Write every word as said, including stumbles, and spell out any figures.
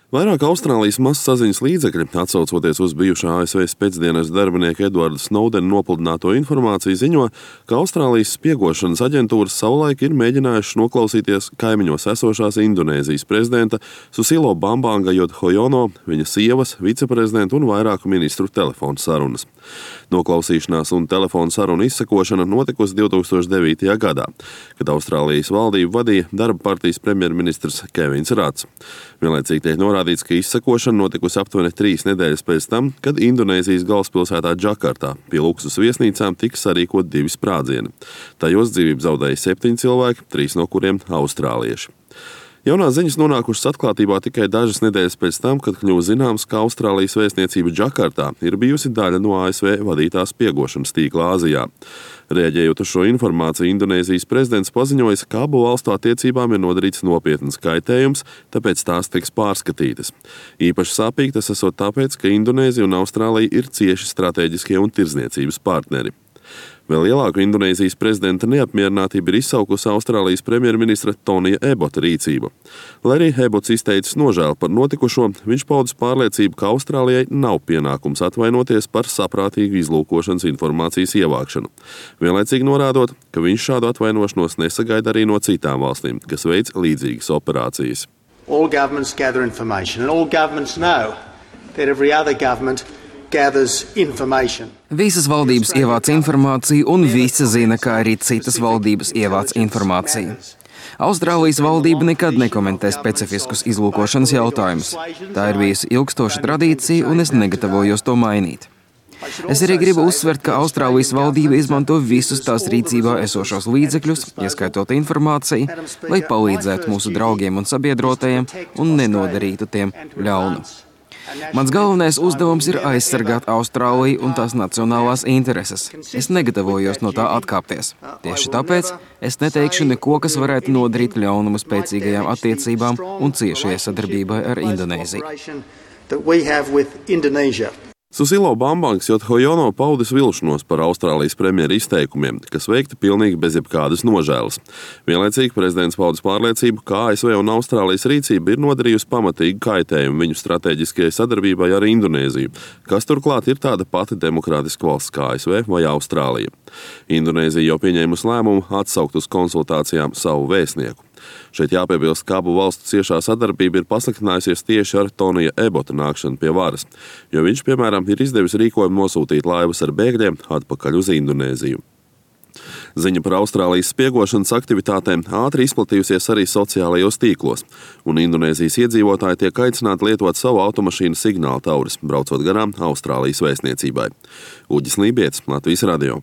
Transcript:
Vairāk Austrālijas mazsaziņas līdzekļi, atsaucoties uz bijušā A S V spēcdienas darbinieka Edvarda Snowdena nopludināto informāciju, ziņo, ka Austrālijas spiegošanas aģentūras savulaik ir mēģinājušas noklausīties kaimiņos esošās Indonēzijas prezidenta Susilo Bambanga Yudhoyono, viņa sievas, viceprezidenta un vairāku ministru telefonu sarunas. Noklausīšanās un telefonu sarunu izsekošana notikusi divtūkstoš devītajā gadā, kad Austrālijas valdību vadīja darba partijas premjerministrs Kevins Rats. Vienlaicīgi tiek norādīts, ka izsekošana notikusi aptuveni trīs nedēļas pēc tam, kad Indonēzijas galvaspilsētā Džakartā pie luksus viesnīcām tika sarīkot divi sprādzieni. Tajos dzīvību zaudēja septiņi cilvēki, trīs no kuriem austrālieši. Jaunās ziņas nonākušas atklātībā tikai dažas nedēļas pēc tam, kad kļuva zināms, ka Austrālijas vēstniecība Džakartā ir bijusi daļa no A S V vadītās spiegošanas tīkla Āzijā. Reaģējot uz šo informāciju, Indonēzijas prezidents paziņoja, ka abu valstu attiecībām ir nodarīts nopietns kaitējums, tāpēc tās tiks pārskatītas. Īpaši sāpīgi tas esot tāpēc, ka Indonēzija un Austrālija ir cieši strateģiskie un tirdzniecības partneri. Vēl lielāku Indonēzijas prezidenta neapmierinātību ir izsaukusi Austrālijas premjerministra Tonija Ebota rīcība. Lai arī Ebots izteicis nožēlu par notikušo, viņš paudis pārliecību, ka Austrālijai nav pienākums atvainoties par saprātīgu izlūkošanas informācijas ievākšanu. Vienlaicīgi norādot, ka viņš šādu atvainošanos nesagaida arī no citām valstīm, kas veic līdzīgas operācijas. All governments gather information and all governments know that every other government Visas valdības ievāc informāciju, un visi zina, ka arī citas valdības ievāc informāciju. Austrālijas valdība nekad nekomentē specifiskus izlūkošanas jautājumus. Tā ir bijusi ilgstoša tradīcija, un es negatavojos to mainīt. Es arī gribu uzsvert, ka Austrālijas valdība izmanto visus tās rīcībā esošos līdzekļus, ieskaitot informāciju, lai palīdzētu mūsu draugiem un sabiedrotajiem un nenodarītu tiem ļaunu. Mans galvenais uzdevums ir aizsargāt Austrāliju un tās nacionālās intereses. Es negatavojos no tā atkāpties. Tieši tāpēc es neteikšu neko, kas varētu nodarīt ļaunumu spēcīgajām attiecībām un ciešajai sadarbībai ar Indonēziju. Susilo Bambangs Yudhoyono paudis vilšanos par Austrālijas premjera izteikumiem, kas veikti pilnīgi bez jebkādas nožēlas. Vienlaicīgi prezidents paudis pārliecību, ka A S V un Austrālijas rīcība ir nodarījusi pamatīgu kaitējumu viņu stratēģiskajai sadarbībai ar Indonēziju, kas turklāt ir tāda pati demokrātiska valsts kā A S V vai Austrālija. Indonēzija jau pieņēmusi lēmumu atsaukt uz konsultācijām savu vēstnieku. Šeit jāpiebilst, ka abu valstu ciešā sadarbība ir pasliktinājusies tieši ar Tonija Ebota nākšanu pie varas, jo viņš, piemēram, ir izdevis rīkojumu nosūtīt laivas ar bēgļiem atpakaļ uz Indonēziju. Ziņa par Austrālijas spiegošanas aktivitātēm ātri izplatījusies arī sociālajos tīklos, un Indonēzijas iedzīvotāji tiek aicināti lietot savu automašīnu signāltauris, braucot garām Austrālijas vēstniecībai. Uģis Lībietis, Latvijas radio.